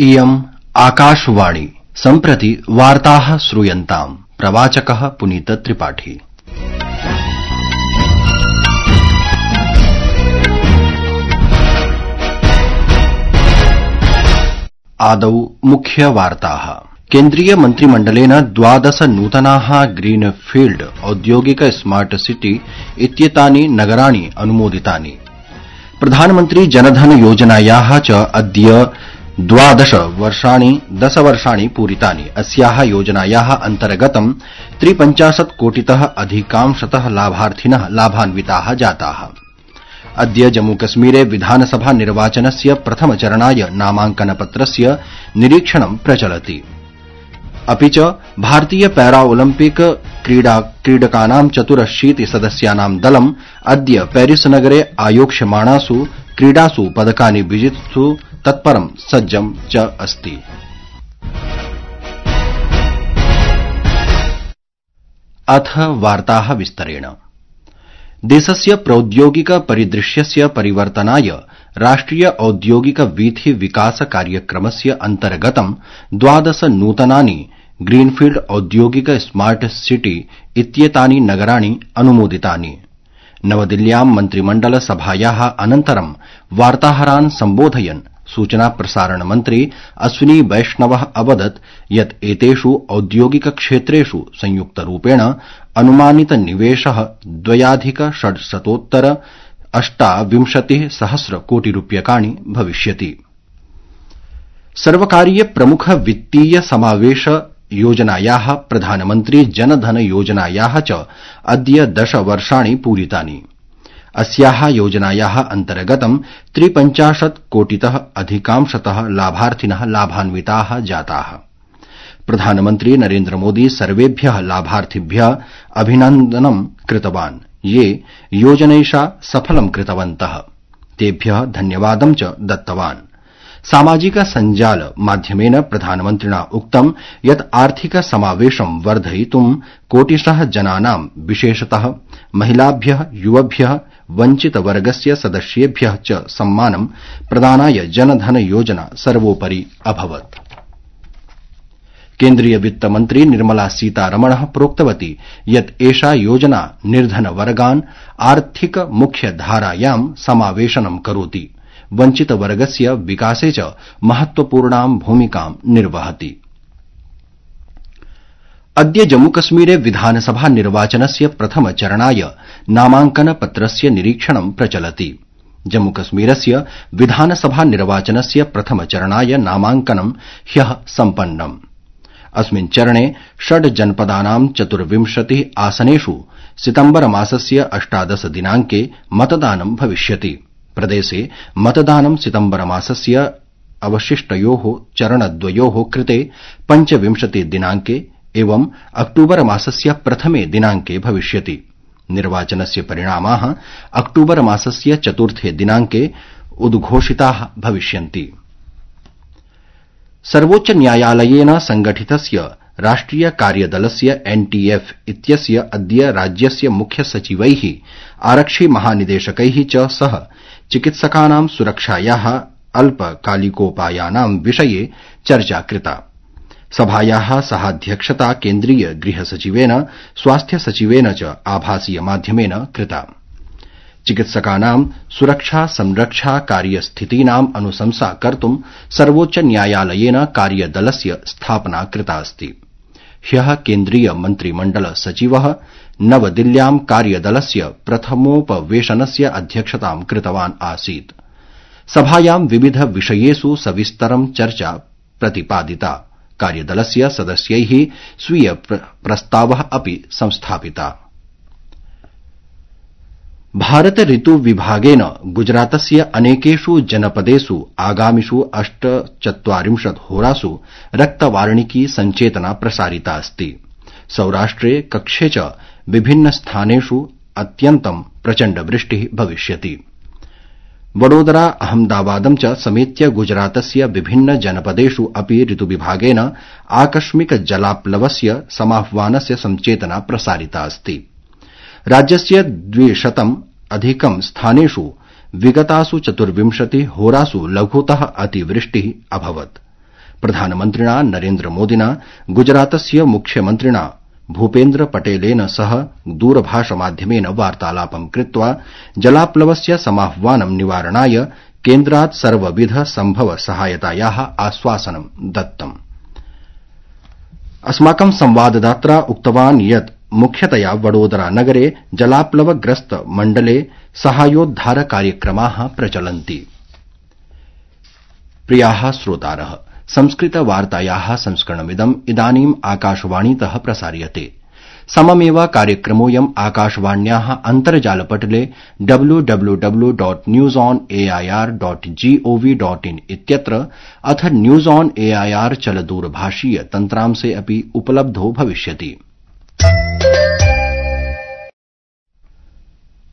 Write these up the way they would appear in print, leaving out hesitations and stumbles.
इयम् आकाशवाणी सम्प्रति वार्ताः श्रूयन्ताम्। प्रवाचकः पुनीत त्रिपाठी। आदौ मुख्यवार्ताः। केन्द्रीय मन्त्रिमण्डलेन 12 नूतनाः ग्रीनफील्ड औद्योगिक स्मार्ट सिटी इत्येतानि नगराणि अनुमोदितानि। प्रधानमन्त्री जनधन योजनायाः च अद्य 10 वर्षाणि पूरितानि। अस्याः योजनायाः अन्तर्गतं 53 कोटितः अधिकांशतः लाभार्थिनः लाभान्विताः जाताः। अद्य जम्मूकश्मीरे विधानसभा निर्वाचनस्य प्रथमचरणाय नामांकनपत्रस्य निरीक्षणं प्रचलति। अपि च भारतीय पैराओलम्पिक क्रीडकानां 84 सदस्यानां दलम् अद्य पेरिस नगरे आयोक्ष्यमाणासु क्रीडासु पदकानि विजित्सु तत्परं सज्जं च अस्ति। अथ वार्ताः विस्तरेण। देशस्य प्रौद्योगिक परिदृश्यस्य परिवर्तनाय राष्ट्रिय औद्योगिक वीथि विकास कार्यक्रमस्य अन्तर्गतं 12 नूतनानि ग्रीनफील्ड औद्योगिक स्मार्ट सिटी इत्येतानि नगराणि अनुमोदितानि। नवदिल्ल्यां मन्त्रिमण्डल सभायाः अनन्तरं वार्ताहरान् सम्बोधयन् सूचना प्रसारण मन्त्री अश्विनी वैष्णवः अवदत् यत् एतेषु औद्योगिक क्षेत्रेषु संयुक्तरूपेण अनुमानित निवेशः 2,628 कोटि रूप्यकाणि भविष्यति। सर्वकारीय प्रमुख वित्तीय समावेश योजनायाः प्रधानमन्त्री जनधन योजनायाः च अद्य 10 वर्षाणि पूरितानि। अस्याः योजनायाः अन्तर्गतं 53 कोटितः अधिकांशतः लाभार्थिनः लाभान्विताः जाताः। प्रधानमन्त्री नरेन्द्र मोदी सर्वेभ्यः लाभार्थिभ्यः अभिनन्दनं कृतवान् ये योजनैषा सफलं कृतवन्तः। तेभ्यः धन्यवादं च दत्तवान्। सामाजिक सञ्जाल माध्यमेन प्रधानमन्त्रिणा उक्तं यत् आर्थिक समावेशं वर्धयितुं कोटिशः जनानां विशेषतः महिलाभ्यः युवभ्यः वञ्चितवर्गस्य सदस्येभ्यः च सम्मानं प्रदानाय जनधन योजना सर्वोपरि अभवत्। केन्द्रीय वित्तमन्त्री निर्मला सीतारमणः प्रोक्तवती यत् एषा योजना निर्धनवर्गान् आर्थिक मुख्यधारायां समावेशनं करोति, वञ्चितवर्गस्य विकासे च महत्वपूर्णां भूमिकां निर्वहति। अद्य जम्मूकश्मीरे विधानसभा निर्वाचनस्य प्रथमचरणाय नामांकनपत्रस्य निरीक्षणं प्रचलति। जम्मूकश्मीरस्य विधानसभा निर्वाचनस्य प्रथमचरणाय नामांकनं ह्यः सम्पन्नम्। अस्मिन् चरणे 6 जनपदानां 24 आसनेषु सितम्बरमासस्य 18 दिनाङ्के मतदानं भविष्यति। प्रदेशे मतदानं सितम्बरमासस्य अवशिष्टयोः चरणद्वयोः कृते 25 दिनाङ्के एवं अक्टूबर मासस्य प्रथमे दिनाङ्के भविष्यति। निर्वाचनस्य परिणामाः अक्टूबर मासस्य 4 दिनाङ्के उद्घोषिताः भविष्यन्ति। सर्वोच्च न्यायालयेन संगठितस्य राष्ट्रिय कार्यदलस्य NTF इत्यस्य अद्य राज्यस्य मुख्य सचिवैः आरक्षि महानिदेशकैः च सह चिकित्सकानां सुरक्षायाः अल्पकालिकोपायानां विषये चर्चा कृता। सभायाः सहाध्यक्षता केन्द्रीय गृहसचिवेन स्वास्थ्य सचिवेन च आभासीय माध्यमेन कृता। चिकित्सकानां सुरक्षा संरक्षा कार्यस्थितीनाम् अनुशंसा कर्तुं सर्वोच्च न्यायालयेन कार्यदलस्य स्थापना कृता अस्ति। ह्यः केन्द्रीय मन्त्रिमण्डल सचिवः नवदिल्ल्यां कार्यदलस्य प्रथमोपवेशनस्य अध्यक्षतां कृतवान् आसीत्। सभायां विविध विषयेषु सविस्तरं चर्चा प्रतिपादिता। कार्यदलस्य सदस्यैः स्वीय प्रस्तावः अपि संस्थापिता। भारत ऋतु विभागेन गुजरातस्य अनेकेषु जनपदेषु आगामिषु 48 होरासु रक्तवार्णिकी सञ्चेतना प्रसारिता अस्ति। सौराष्ट्रे कक्षे च विभिन्न स्थानेषु अत्यन्तं प्रचण्ड वृष्टिः भविष्यति। वडोदरा अहमदाबादं च समेत्य गुजरातस्य विभिन्न जनपदेषु अपि ऋतुविभागेन आकस्मिक जलाप्लवस्य समाह्वानस्य सञ्चेतना प्रसारिता अस्ति। राज्यस्य 200 अधिकं स्थानेषु विगतासु 24 होरासु लघुतः अतिवृष्टिः अभवत्। प्रधानमन्त्रिणा नरेन्द्र मोदिना गुजरातस्य मुख्यमन्त्रिणा भूपेन्द्र पटेलेन सह दूरभाषमाध्यमेन वार्तालापं कृत्वा जलाप्लवस्य समाह्वानं निवारणाय केन्द्रात् सर्वविध सम्भव सहायतायाः आश्वासनं दत्तम्। अस्माकं संवाददाता उक्तवान् यत् मुख्यतया वडोदरा नगरे जलाप्लवग्रस्त मण्डले साहाय्योद्धार कार्यक्रमाः प्रचलन्ति। प्रियाः श्रोतारः, संस्कृतवार्तायाः संस्करणमिदम् इदानीम् आकाशवाणीतः प्रसार्यते। सममेव कार्यक्रमोऽयम् आकाशवाण्याः अन्तर्जालपटले www.newsonair.gov.in इत्यत्र अथ न्यूज ऑन एआईआर चलदूरभाषीय तन्त्रांशे अपि उपलब्धो भविष्यति।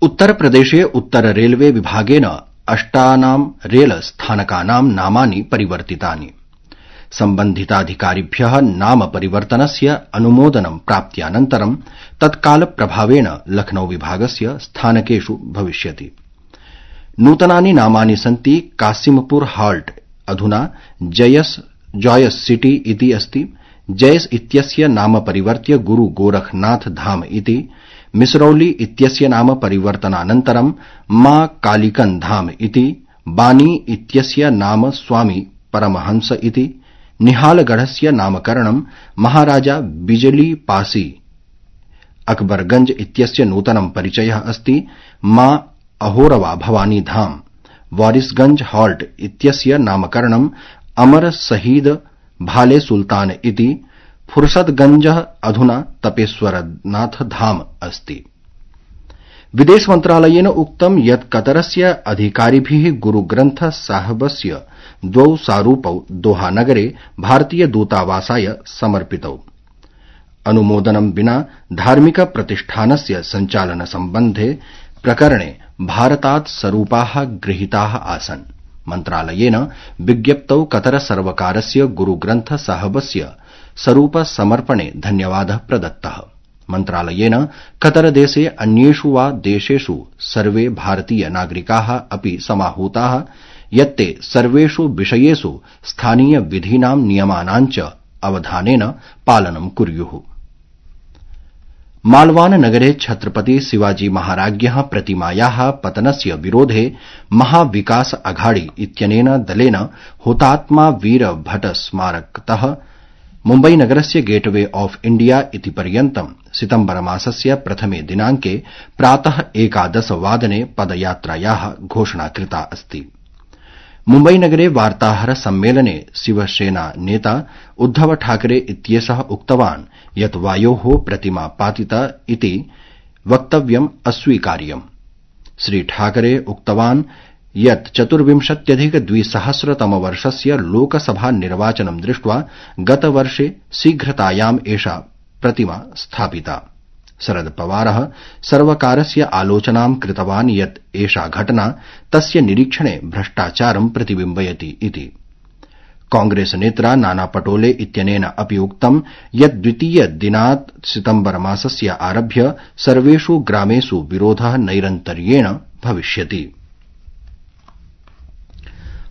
उत्तरप्रदेशे उत्तर रेलवे विभागेन 8 रेल स्थानकानां नामानि परिवर्तितानि। सम्बन्धिताधिकारिभ्यः नाम परिवर्तनस्य अनुमोदनं प्राप्त्यानन्तरं तत्कालप्रभावेण लखनऊ विभागस्य स्थानकेषु भविष्यति। नूतनानि नामानि सन्ति कासिमपुर हाल्ट अधुना जॉयस सिटी इति अस्ति। जयस इत्यस्य नाम परिवर्त्य गुरु गोरखनाथ धाम इति, मिसरौली इत्यस्य नाम परिवर्तनानन्तरं मां कालिकन धाम इति, बानी इत्यस्य नाम स्वामी परमहंस इति, निहालगढ़स्य नामकरणं महाराजा बिजली पासी, अकबरगंज इत्यस्य नूतनं परिचयः अस्ति मां अहोरवा भवानी धाम, वारिसगंज हाल्ट इत्यस्य नामकरणं अमर शहीद भाले सुल्तान इति, फुर्सतगंज अधुना तपेश्वरनाथ धाम अस्ति। विदेश मन्त्रालयेन उक्तं यत् कतरस्य अधिकारिभिः गुरुग्रन्थ साहबस्य 2 सारूपौ दोहा नगरे भारतीय दूतावासाय समर्पितौ। अनुमोदनं विना धार्मिक प्रतिष्ठानस्य सञ्चालन सम्बन्धे प्रकरणे भारतात् स्वरूपाः गृहीताः आसन्। मन्त्रालयेन विज्ञप्तौ कतर सर्वकारस्य गुरुग्रन्थ साहबस्य स्वरूप समर्पणे धन्यवादः प्रदत्तः। मन्त्रालयेन कतरदेशे अन्येषु वा देशेषु सर्वे भारतीय नागरिकाः अपि समाहूताः यत्ते सर्वेषु विषयेषु स्थानीय विधीनां नियमानां च अवधानेन पालनं कुर्युः। मालवान नगरे छत्रपति शिवाजी महाराज्ञः प्रतिमायाः पतनस्य विरोधे महाविकास अघाड़ी इत्यनेन दलेन हुतात्मा वीर भट्ट स्मारकतः मुम्बईनगरस्य गेटवे ऑफ इंडिया इति पर्यन्तं सितम्बरमासस्य प्रथमे दिनांके प्रातः 11 वादने पदयात्रायाः घोषणा कृता अस्ति। मुम्बईनगरे वार्ताहर सम्मेलने शिवसेना नेता उद्धव ठाकरे इत्येषः उक्तवान् यत् वायोः प्रतिमा पातिता इति वक्तव्यम् अस्वीकार्यम्। श्री ठाकरे उक्तवान् यत् 24,200 लोकसभा निर्वाचनं दृष्ट्वा गतवर्षे शीघ्रतायाम् एषा प्रतिमा स्थापिता। शरद पवारः सर्वकारस्य आलोचनां कृतवान् यत् एषा घटना तस्य निरीक्षणे भ्रष्टाचारं प्रतिबिम्बयति इति। कांग्रेस नेत्रा नाना पटोले इत्यनेन अपि उक्तं यत् द्वितीय दिनात् सितम्बरमासस्य आरभ्य सर्वेषु ग्रामेषु विरोधः नैरन्तर्येण भविष्यति।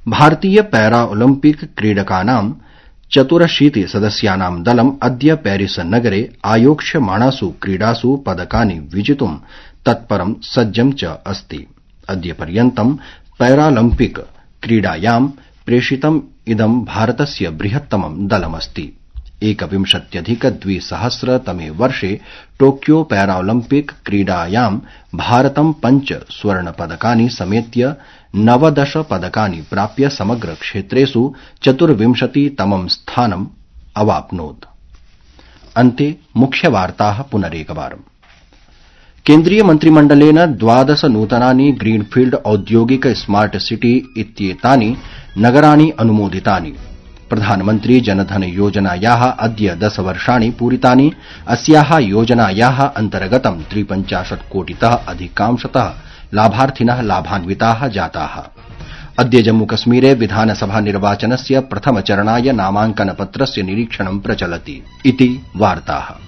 भारतीय पैरा ओलिम्पिक क्रीडकानां 84 सदस्यानां दलम् अद्य पेरिस नगरे आयोक्ष्यमाणासु क्रीडासु पदकानि विजितुं तत्परं सज्जं च अस्ति। अद्य पर्यन्तं पैरालम्पिक क्रीडायां प्रेषितम् इदं भारतस्य बृहत्तमं दलमस्ति। 21,200 तमे वर्षे टोक्यो पैराओलिम्पिक क्रीडायां भारतं 5 स्वर्णपदकानि समेत्य 19 पदकानि प्राप्य समग्र क्षेत्रेषु 24तमं स्थानम् अवाप्नोत्। अन्ते मुख्यवार्ताः पुनरेकवारम्। केन्द्रीय मन्त्रिमण्डलेन 12 नूतनानि ग्रीनफील्ड औद्योगिक स्मार्ट सिटी इत्येतानि नगराणि अनुमोदितानि। प्रधानमन्त्री जनधन योजनायाः अद्य 10 वर्षाणि पूरितानि। अस्याः योजनायाः अन्तर्गतं 53 कोटितः अधिकांशतः लाभार्थिनः लाभान्विताः जाताः। अद्य जम्मूकश्मीरे विधानसभा निर्वाचनस्य प्रथमचरणाय नामाङ्कनपत्रस्य निरीक्षणं प्रचलति इति वार्ताः।